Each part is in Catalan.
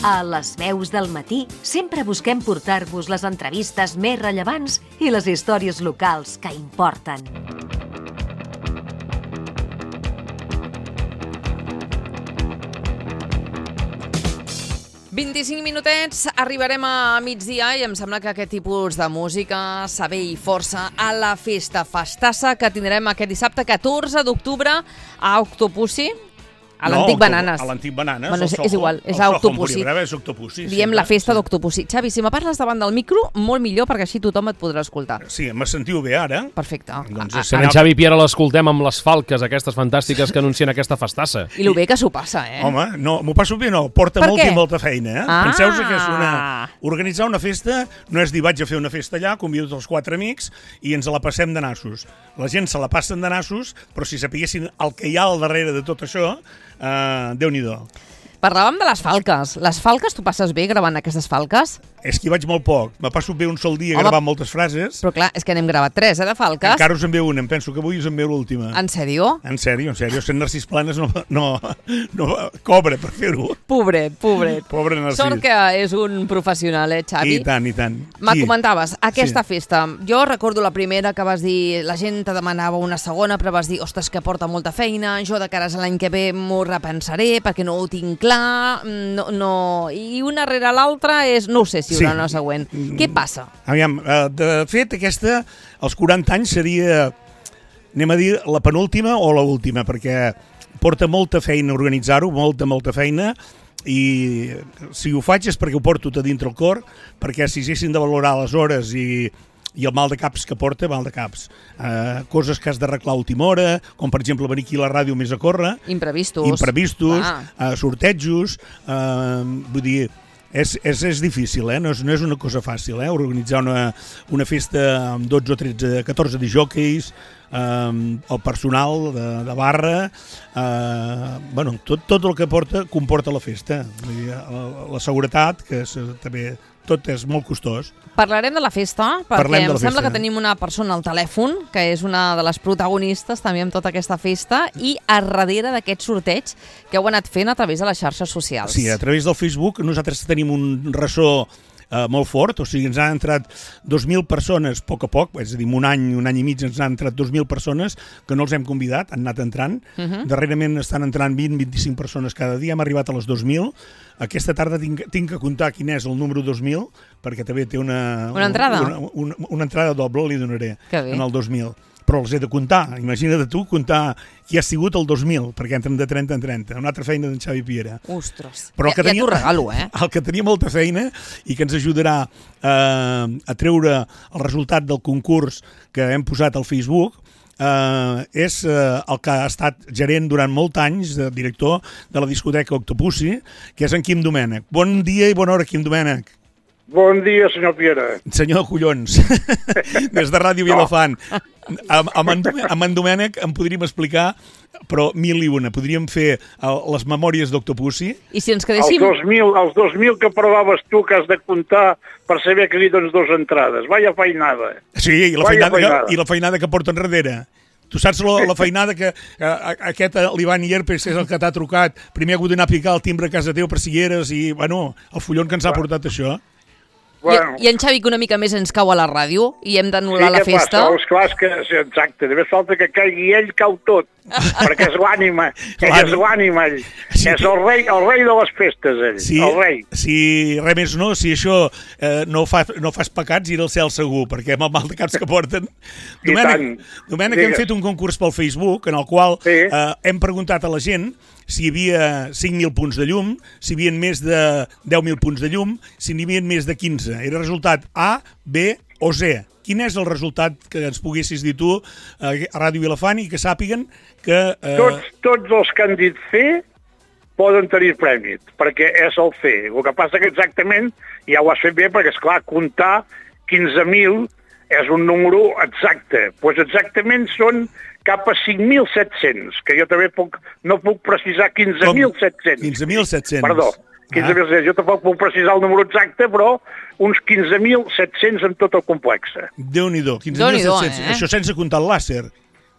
A les veus del matí sempre busquem portar-vos les entrevistes més rellevants i les històries locals que importen. «25 minutets, arribarem a migdia i em sembla que aquest tipus de música s'ha ve i força a la festassa que tindrem aquest dissabte 14 d'octubre a Octopussy. A l'Antic Bananes. A l'Antic Bananes. Bueno, és igual, és a Octopussy. És Octopussy. Diem la festa d'Octopussy. Xavi, si me parles davant del micro, molt millor, perquè així tothom et podrà escoltar. Sí, me sentiu bé ara? Perfecte. En Xavi Piera l'escoltem amb les falques aquestes fantàstiques que anuncien aquesta festassa. I lo bé que s'ho passa, eh? Home, no, m'ho passo bé, no. Porta molta feina, eh? Penseu que és organitzar una festa no és dir vaig a fer una festa allà, convido els 4 amics i ens la passem de nassos. La gent se la passen de nassos, però si sapiguessin el que hi ha al darrere de tot això, Déu-n'hi-do. Parlàvem de les falques. Les falques, tu passes bé gravant aquestes falques? És que hi vaig molt poc. Me passo bé un sol dia gravant moltes frases. Però clar, és que n'hem gravat 3, de falques. Encara us en ve una, em penso que avui us en ve l'última. En sèrio? En sèrio. Sent Narcís Planes no cobra per fer-ho. Pobret. Pobre Narcís. Sort que és un professional, Xavi? I tant. Me comentaves, aquesta festa. Jo recordo la primera que vas dir, la gent te demanava una segona, però vas dir, ostres, que porta molta feina, jo de cares a l'any que ve m'ho repensaré perquè no ho tinc clar, no. I una rere l'altra és, no ho sé si hi haurà una següent. Què passa? Aviam, de fet, aquesta, als 40 anys seria, anem a dir, la penúltima o l'última, perquè porta molta feina organitzar-ho, molta feina, i si ho faig és perquè ho porto a dintre el cor, perquè si haguessin de valorar les hores i el mal de caps que porta, mal de caps. Coses que has d'arreglar a última hora, com per exemple venir aquí a la ràdio més a córrer. Imprevistos, sortejos, vull dir, és difícil, no és una cosa fàcil, organitzar una festa amb 12 o 13, 14 disjòqueis, el personal de barra, tot el que comporta la festa. La seguretat, que també tot és molt costós. Parlarem de la festa, perquè em sembla que tenim una persona al telèfon, que és una de les protagonistes també amb tota aquesta festa, i a darrere d'aquest sorteig que heu anat fent a través de les xarxes socials. Sí, a través del Facebook nosaltres tenim un ressò molt fort, o sigui, ens han entrat 2.000 persones a poc, és a dir, un any i mig ens han entrat 2.000 persones que no els hem convidat, han anat entrant. Darrerament estan entrant 20-25 persones cada dia, hem arribat a les 2.000. Aquesta tarda tinc que comptar quin és el número 2.000, perquè també té una entrada. Una entrada doble, li donaré, en el 2.000. Però els he de comptar. Imagina't tu comptar qui ha sigut el 2000, perquè entren de 30 en 30. Una altra feina d'en Xavi Piera. Ostres, ja t'ho regalo, eh? El que tenia molta feina i que ens ajudarà a treure el resultat del concurs que hem posat al Facebook és el que ha estat gerent durant molts anys, director de la discoteca Octopussy, que és en Quim Domènech. Bon dia i bona hora, Quim Domènech. Bon dia, senyor Piera. Senyor collons, des de Ràdio Vilafant. Amb en Domènech em podríem explicar, però 1001. Podríem fer les memòries d'Octopussy. I si ens quedéssim... Els 2.000 que parlaves tu, que has de comptar per saber que li dones 2 entrades. Vaya feinada. Sí, i la feinada que porta enrere. Tu saps la feinada que aquest l'Ivan Ierpes és el que t'ha trucat. Primer ha hagut d'anar a picar el timbre a casa teu per si hi eres i, bueno, el follon que ens ha portat això. Bueno. I en Xavi, que una mica més ens cau a la ràdio i hem d'anul·lar la festa. Sí, què passa? Exacte, només falta que caigui ell, cau tot, perquè és l'ànima, és l'ànima, ell. Sí. És el rei de les festes, ell, el rei. Si res més no, si això no fas pecats, ir al cel segur, perquè amb el mal de caps que porten. Domènec, hem fet un concurs pel Facebook, en el qual hem preguntat a la gent si hi havia 5.000 punts de llum, si hi havia més de 10.000 punts de llum, si n'hi havia més de 15. Era resultat A, B o C. Quin és el resultat que ens poguessis dir tu a Ràdio Vilafant i que sàpiguen que... Tots els que han dit fer poden tenir prèmit, perquè és el fer. El que passa que exactament ja ho has fet bé, perquè, esclar, comptar 15.000 és un número exacte. Doncs exactament són cap a 5.700, que jo també no puc precisar 15.700. 15.700. Perdó, 15.700. Jo tampoc puc precisar el número exacte, però uns 15.700 en tot el complex. Déu-n'hi-do, 15.700. Això sense comptar el làser.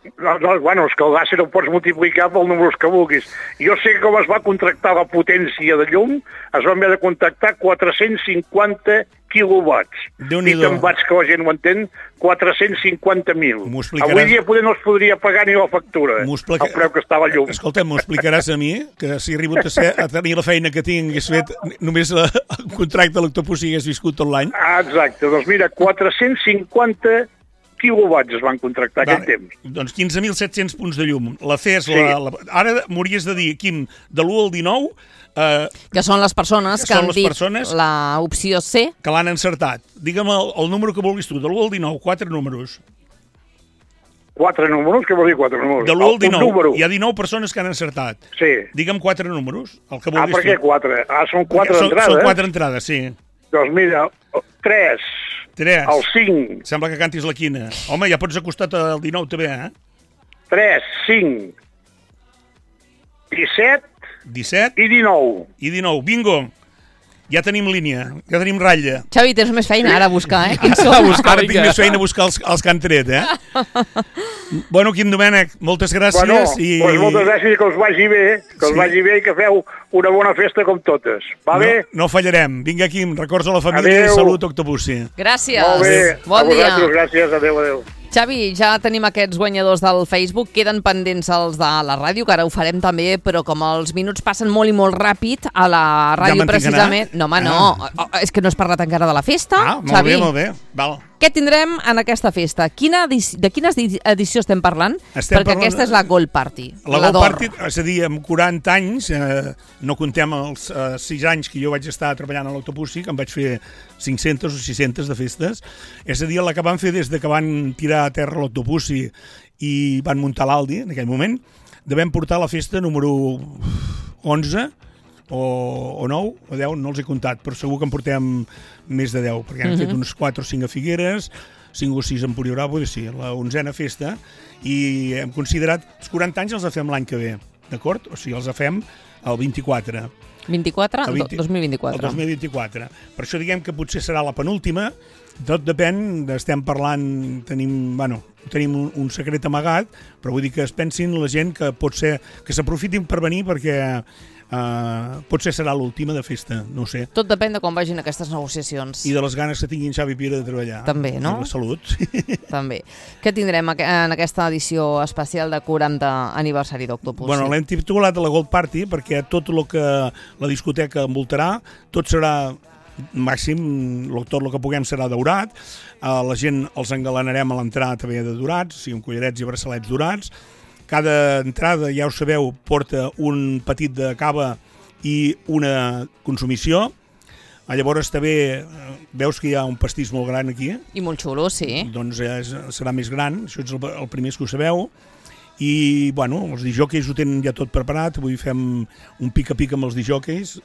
Bueno, és que el làser el pots multiplicar pel número que vulguis. Jo sé com es va contractar la potència de llum, es van haver de contractar 450 quilowatts. Dit en watts, que la gent ho entén, 450.000. Avui dia poder no es podria pagar ni la factura, el preu que estava llum. Escolta, m'ho explicaràs a mi, que si he arribat a tenir la feina que tinc, hagués fet només el contracte de l'Octopussi i hagués viscut tot l'any. Exacte, doncs mira, 450 quilowatts es van contractar aquell temps. Doncs 15.700 punts de llum. La FES, ara m'hauries de dir, Quim, de l'1 al 19... que són les persones que han dit l'opció C. Que l'han encertat. Digue'm el número que vulguis tu, de l'1 al 19, 4 números. 4 números? Què vol dir 4 números? De l'1 al 19, hi ha 19 persones que han encertat. Sí. Digue'm 4 números, el que vulguis per què 4? Són 4 entrades? Són 4 entrades, sí. Doncs mira, 3... El 5. Sembla que cantis la quina. Home, ja pots acostar al 19 també, eh? 3, 5, 17 i 19. I 19, bingo! Ja tenim línia, ja tenim ratlla. Xavi, tens més feina ara a buscar, eh? Ara tinc més feina a buscar els que han tret, eh? Bueno, Quim Domènech, moltes gràcies. Doncs moltes gràcies i que us vagi bé, i que feu una bona festa com totes. Va bé? No fallarem. Vinga, Quim, records a la família i salut, Octopussi. Gràcies. Molt bé. Bon dia. Gràcies, adéu. Xavi, ja tenim aquests guanyadors del Facebook, queden pendents els de la ràdio, que ara ho farem també, però com els minuts passen molt i molt ràpid, a la ràdio precisament... No, home, no, és que no has parlat encara de la festa, Xavi. Molt bé, val. Què tindrem en aquesta festa? De quina edició estem parlant? Perquè aquesta és la Gold Party. La Gold Party, és a dir, amb 40 anys, no contem els 6 anys que jo vaig estar treballant a l'Octopussi, que em vaig fer 500 o 600 de festes, és a dir, la que van fer des de que van tirar a terra l'Octopussi i van muntar l'Aldi, en aquell moment, devem portar la festa número 11, o 9 o 10, no els he comptat, però segur que en portem més de 10, perquè hem fet uns 4 o 5 a Figueres, 5 o 6 a Empúria Bravo, la 11a festa, i hem considerat, els 40 anys els fem l'any que ve, d'acord? O sigui, els fem el 24. 24? 2024. El 2024. Per això diguem que potser serà la penúltima, tot depèn, estem parlant, tenim un secret amagat, però vull dir que es pensin la gent que pot ser, que s'aprofitin per venir perquè potser serà l'última de festa, no ho sé. Tot depèn de com vagin aquestes negociacions. I de les ganes que tinguin Xavi Pira de treballar. També, no? I la salut. També. Què tindrem en aquesta edició especial de 40 aniversari d'Octopussi? Bueno, l'hem titulat la Gold Party perquè tot el que la discoteca envoltarà, tot serà màxim, tot el que puguem serà daurat, la gent els engalanarem a l'entrada també de dorats, o sigui, amb collarets i braçalets dorats. Cada entrada, ja ho sabeu, porta un petit de cava i una consumició. Llavors també veus que hi ha un pastís molt gran aquí. I molt xulo, sí. Doncs serà més gran, això és el primer que ho sabeu. I, bueno, els disjòqueis ho tenen ja tot preparat, avui fem un pica-pica amb els disjòqueis,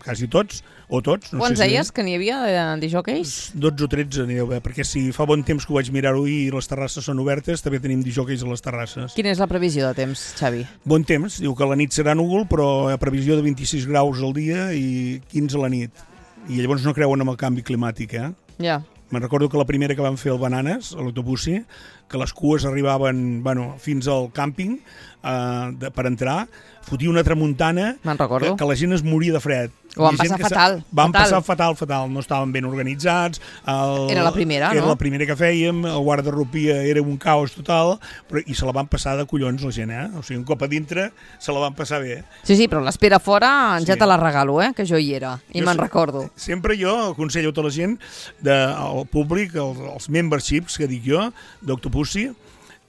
quasi tots, o tots. Quants deies que n'hi havia de disjòqueis? 12 o 13 anireu bé, perquè si fa bon temps que ho vaig mirar-ho i les terrasses són obertes, també tenim disjòqueis a les terrasses. Quina és la previsió de temps, Xavi? Bon temps, diu que la nit serà núvol, però hi ha previsió de 26 graus al dia i 15 a la nit. I llavors no creuen en el canvi climàtic, eh? Ja. Me'n recordo que la primera que van fer el Bananes, a l'Octopussi, que les cues arribaven fins al càmping per entrar, fotia una tramuntana que la gent es moria de fred. Ho van passar fatal. Van passar fatal, no estaven ben organitzats. Era la primera, no? Era la primera que fèiem, el guardarropia era un caos total, i se la van passar de collons la gent, eh? O sigui, un cop a dintre se la van passar bé. Sí, però l'espera fora ja te la regalo, que jo hi era, i me'n recordo. Sempre jo aconsello a tota la gent, al públic, els memberships, que dic jo, d'Octopussi,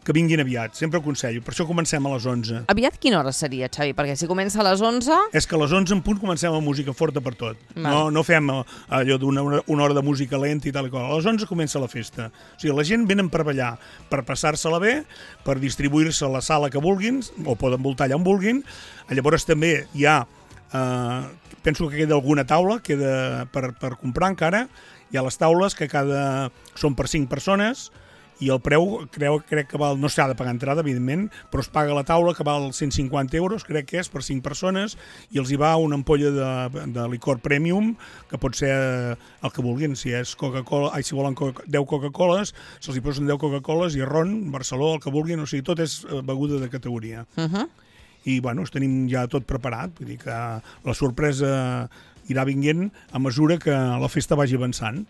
que vinguin aviat, sempre aconsello. Per això comencem a les 11. Aviat quina hora seria, Xavi? Perquè si comença a les 11... És que a les 11 en punt comencem amb música forta per tot. No fem allò d'una hora de música lenta i tal i qual. A les 11 comença la festa. O sigui, la gent venen per ballar, per passar-se-la bé, per distribuir-se a la sala que vulguin, o poden voltar allà on vulguin. Llavors també hi ha... penso que queda alguna taula, queda per comprar encara. Hi ha les taules que són per 5 persones, i el preu crec que val, no s'ha de pagar entrada, evidentment, però es paga la taula que val 150 euros, crec que és, per 5 persones, i els hi va una ampolla de licor premium, que pot ser el que vulguin, si és Coca-Cola, si volen 10 Coca-Coles, se'ls hi posen 10 Coca-Coles i ron, Barceló, el que vulguin, o sigui, tot és beguda de categoria. I, bueno, tenim ja tot preparat, vull dir que la sorpresa irà vinguent a mesura que la festa vagi avançant.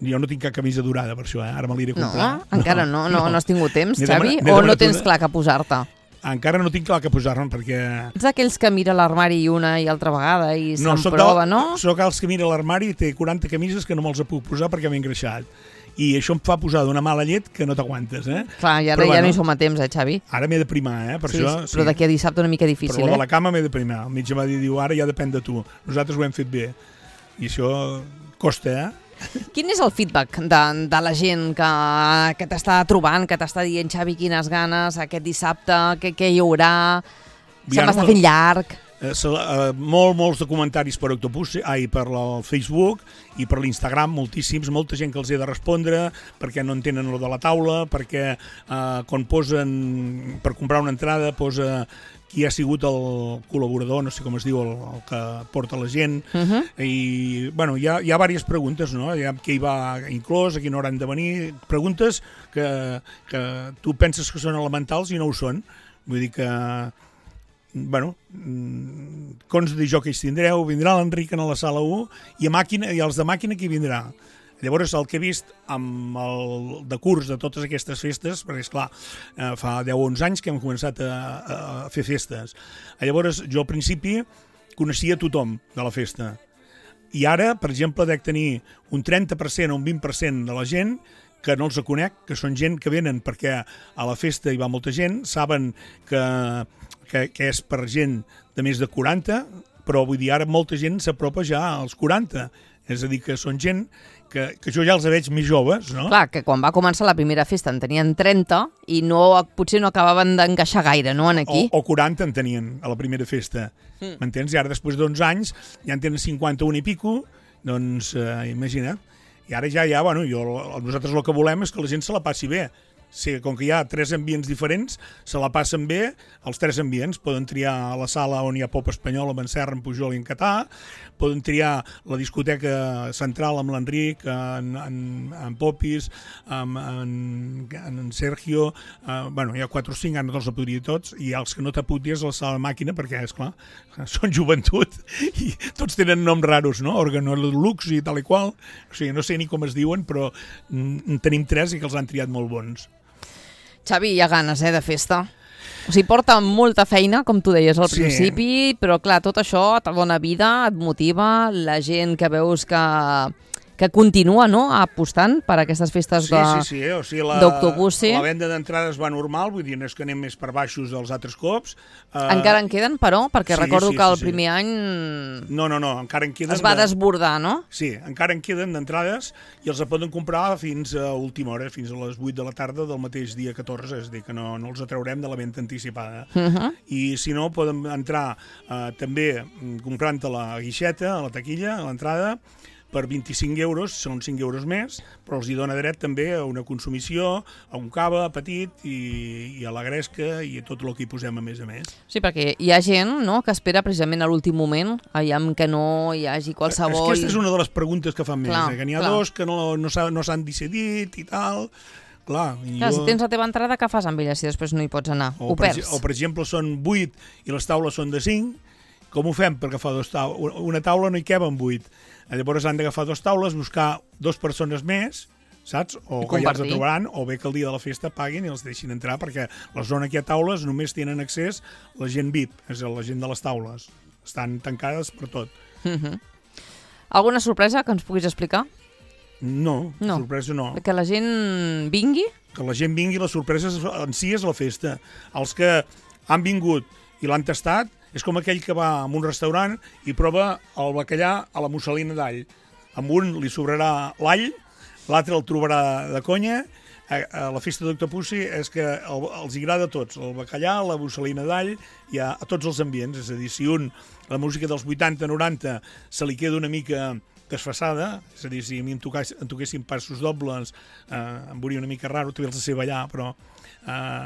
Jo no tinc cap camisa durada per això, ara me l'iré a comprar. No, encara no has tingut temps, Xavi? O no tens clar que posar-te? Encara no tinc clar que posar-me, perquè... Ets d'aquells que mira l'armari una i altra vegada i se'n prova, no? Soc els que mira l'armari i té 40 camises que no me'ls puc posar perquè m'he engreixat. I això em fa posar d'una mala llet que no t'aguantes, Clar, i ara ja no hi som a temps, Xavi? Ara m'he de primar, per això... Sí, però d'aquí a dissabte una mica difícil, Però de la cama m'he de primar. El metge va dir, ara ja depèn de tu. Nosaltres ho hem fet bé. I això costa, Quin és el feedback de la gent que t'està trobant, que t'està dient, Xavi, quines ganes, aquest dissabte, què hi haurà? Se m'està fent llarg. Molts de comentaris per Octopus, per el Facebook i per l'Instagram, moltíssims, molta gent que els he de respondre perquè no entenen lo de la taula, perquè quan posen per comprar una entrada posa qui ha sigut el col·laborador, no sé com es diu, el que porta la gent, i bueno, hi ha diverses preguntes, no? Qui hi va inclòs, a quina hora han de venir, preguntes que tu penses que són elementals i no ho són, vull dir que bueno, cons de jockeys tindreu, vindrà l'Enric a la sala 1 i els de màquina qui vindrà. Llavors, el que he vist amb el decurs de totes aquestes festes, perquè, esclar, fa 10 o 11 anys que hem començat a fer festes. Llavors, jo al principi coneixia tothom de la festa. I ara, per exemple, dec tenir un 30% o un 20% de la gent que no els conec, que són gent que venen perquè a la festa hi va molta gent, saben que és per gent de més de 40, però vull dir, ara molta gent s'apropa ja als 40. És a dir, que són gent que jo ja els veig més joves, no? Clar, que quan va començar la primera festa en tenien 30 i potser no acabaven d'encaixar gaire, no, aquí? O 40 en tenien a la primera festa, m'entens? I ara, després d'11 anys, ja en tenen 51 i pico, doncs imagina't. I ara ja, bueno, nosaltres el que volem és que la gent se la passi bé. Sí, com que hi ha 3 ambients diferents, se la passen bé, els 3 ambients. Poden triar la sala on hi ha pop espanyol, amb en Serra, en Pujol i en Catà, poden triar la discoteca central amb l'Enric, en Popis, en Sergio, bueno, hi ha 4 o 5, ara no te'ls podria tots, i els que no t'aputis a la sala de màquina, perquè, esclar, són joventut, i tots tenen noms raros, no? Organolux i tal i qual, o sigui, no sé ni com es diuen, però tenim 3 i que els han triat molt bons. Xavi, hi ha ganes, de festa. O sigui, porta molta feina, com tu deies al principi, però clar, tot això et dona vida, et motiva, la gent que veus que continua, no?, apostant per aquestes festes d'Octopus. La venda d'entrades va normal, vull dir, no és que anem més per baixos dels altres cops. Encara en queden, però? Perquè recordo que el primer any no, encara en queden... Es va desbordar, no? Sí, encara en queden d'entrades i els poden comprar fins a última hora, fins a les 8 de la tarda del mateix dia 14, és a dir, que no els atraurem de la venda anticipada. I si no, poden entrar també comprant a la guixeta, a la taquilla, a l'entrada, per 25 euros, són 5 euros més, però els hi dona dret també a una consumició, a un cava petit i a la gresca i a tot el que hi posem a més. Sí, perquè hi ha gent, no?, que espera precisament a l'últim moment, aviam que no hi hagi qualsevol... Aquesta és una de les preguntes que fan més, que n'hi ha dos que no s'han decidit i tal... Clar, si tens la teva entrada, què fas amb ella si després no hi pots anar? Ho perds. O, per exemple, són 8 i les taules són de 5, com ho fem per agafar una taula? No hi caben 8. Llavors han d'agafar 2 taules, buscar 2 persones més, saps? O que ja els trobaran, o bé que el dia de la festa paguin i els deixin entrar, perquè la zona que hi ha taules només tenen accés la gent VIP, és a dir, la gent de les taules. Estan tancades per tot. Alguna sorpresa que ens puguis explicar? No, sorpresa no. Que la gent vingui? Que la gent vingui, la sorpresa en si és la festa. Els que han vingut i l'han tastat, és com aquell que va a un restaurant i prova el bacallà a la musselina d'all. Amb un li sobrarà l'all, l'altre el trobarà de conya. A la festa d'Octopussy és que els agrada a tots, el bacallà, la musselina d'all i a tots els ambients. És a dir, si la música dels 80-90 se li queda una mica desfasada, és a dir, si a mi em toquessin passos dobles, em veuria una mica raro, també els sé ballar, però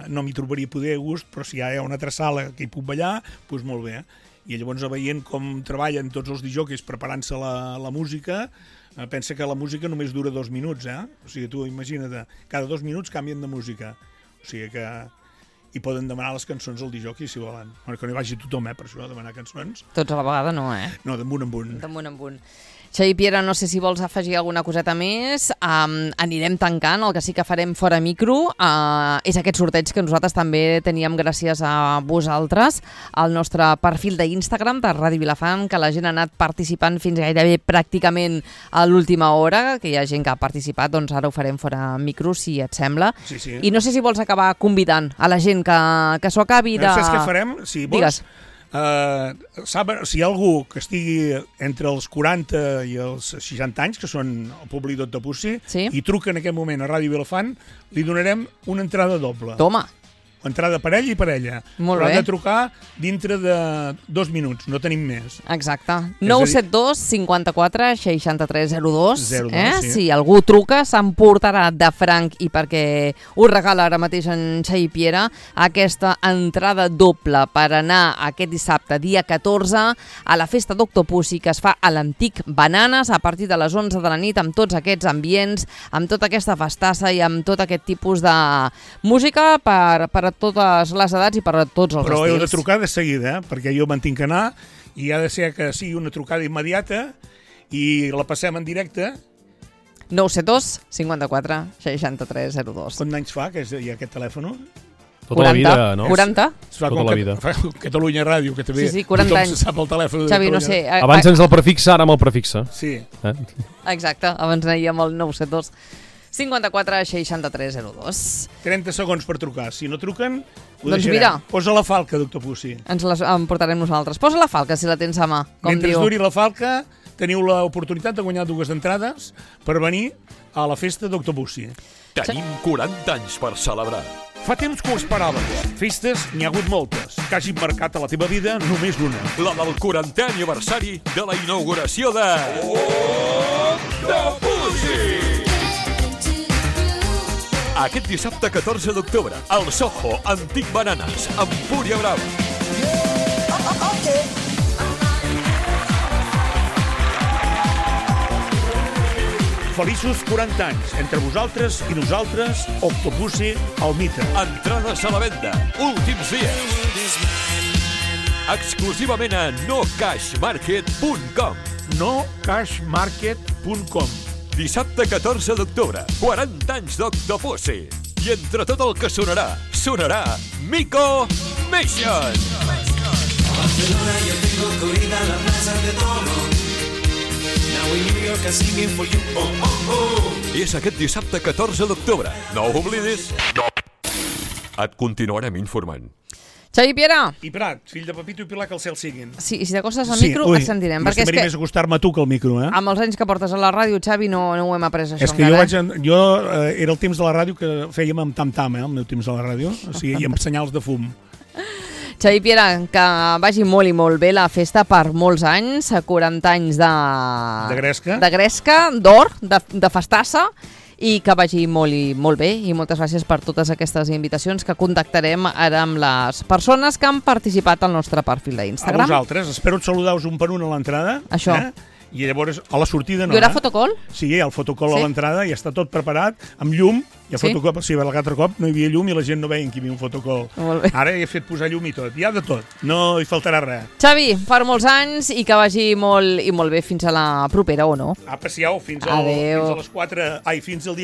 no m'hi trobaria poder a gust, però si hi ha una altra sala que hi puc ballar, doncs molt bé. I llavors, veient com treballen tots els disjòqueis preparant-se la música, pensa que la música només dura 2 minuts, O sigui, tu imagina't, cada 2 minuts canvien de música. O sigui que i poden demanar les cançons al disjockey si volen. Bueno, que no hi vagi tothom, per això, a demanar cançons. Tots a la vegada no, No, d'en un. D'en un. Xavi Piera, no sé si vols afegir alguna coseta més. Anirem tancant, el que sí que farem fora micro és aquest sorteig que nosaltres també teníem gràcies a vosaltres, al nostre perfil d'Instagram de Ràdio Vilafant, que la gent ha anat participant fins gairebé pràcticament a l'última hora, que hi ha gent que ha participat, doncs ara ho farem fora micro, si et sembla. Sí. I no sé si vols acabar convidant a la gent que s'ho acabi de... Saps què farem? Si vols... Digues. Si hi ha algú que estigui entre els 40 i els 60 anys, que són el públic d'Octopussy, i truca en aquest moment a Ràdio Vilafant, li donarem una entrada doble. Toma! Entrada parella i parella. Molt bé. Però ha de trucar dintre de 2 minuts, no tenim més. Exacte. 972 54 63 02. Sí. Si algú truca, s'emportarà de franc, i perquè ho regala ara mateix en Xavi Piera, aquesta entrada doble per anar aquest dissabte, dia 14, a la festa d'Octopussy, que es fa a l'Antic Bananes a partir de les 11 de la nit, amb tots aquests ambients, amb tota aquesta festassa i amb tot aquest tipus de música per a totes les edats i per a tots els estils. Però heu de trucar de seguida, perquè jo me'n tinc que anar, i ha de ser que sigui una trucada immediata i la passem en directe. 972 54 63 02. Quants anys fa que hi ha aquest telèfon? Tota la vida, no? 40? Tota la vida. Catalunya Ràdio, que també 40 tothom anys. se sap el telèfon de Xavi, Catalunya. no sé. Abans ens el prefixa, ara amb el prefixa. Sí. Exacte, abans anaríem al 972 54 63 02. 30 segons per trucar. Si no truquen, ho doncs deixarem. mira. Posa la falca, d'Octopussy. Ens les emportarem nosaltres. Posa la falca, si la tens a mà, com Mentre diu. duri la falca, teniu l'oportunitat de guanyar 2 entrades per venir a la festa d'Octopussy. Tenim 40 anys per celebrar. Fa temps que ho esperaves. Festes n'hi ha hagut moltes. Que hagin marcat a la teva vida només una. La del 40è aniversari de la inauguració de... Octopussy! Aquest dissabte 14 d'octubre, al Soho Antic Bananes, amb Empúria Brava. Feliços 40 anys. Entre vosaltres i nosaltres, Octopussy, el mite. Entrades a la venda. Últims dies. Exclusivament a nocashmarket.com. nocashmarket.com. Dissabte 14 d'octubre, 40 anys d'Octopussy. I entre tot el que sonarà Miko Mission. Barcelona, yo tengo corrida la plaza de toros. Now in New York, I'm singing for you. Oh, oh, oh. És aquest dissabte 14 d'octubre. No ho oblidis. Et continuarem informant. Xavi Piera! I Prat, fill de Pepito i Pilar, que el cel siguin. Sí, i si t'acostes al micro, et sentirem. Perquè és que... més acostar-me a tu que al micro, Amb els anys que portes a la ràdio, Xavi, no ho hem après, això és que encara. jo era el temps de la ràdio que fèiem amb tam-tam, el meu temps de la ràdio, o sigui, i amb senyals de fum. Xavi Piera, que vagi molt i molt bé la festa per molts anys, 40 anys de gresca, d'or, de festassa, i que vagi molt i molt bé, i moltes gràcies per totes aquestes invitacions que contactarem ara amb les persones que han participat al nostre perfil d'Instagram. A vosaltres, espero saludar-vos un per un a l'entrada. Això. I llavors a la sortida no. Hi haurà fotocol? Sí, hi ha el fotocol a l'entrada, ja està tot preparat, amb llum. Hi ha fotocol, sí, l'altre cop no hi havia llum i la gent no veia que hi havia un fotocol. Ara he fet posar llum i tot, hi ha de tot, no hi faltarà res. Xavi, per molts anys i que vagi molt i molt bé fins a la propera, o no? Apa, siau, fins al dia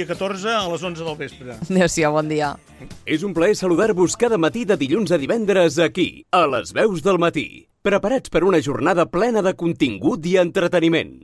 14 a les 11 del vespre. Adéu-siau, bon dia. És un plaer saludar-vos cada matí de dilluns a divendres aquí, a les Veus del Matí. Preparats per una jornada plena de contingut i entreteniment.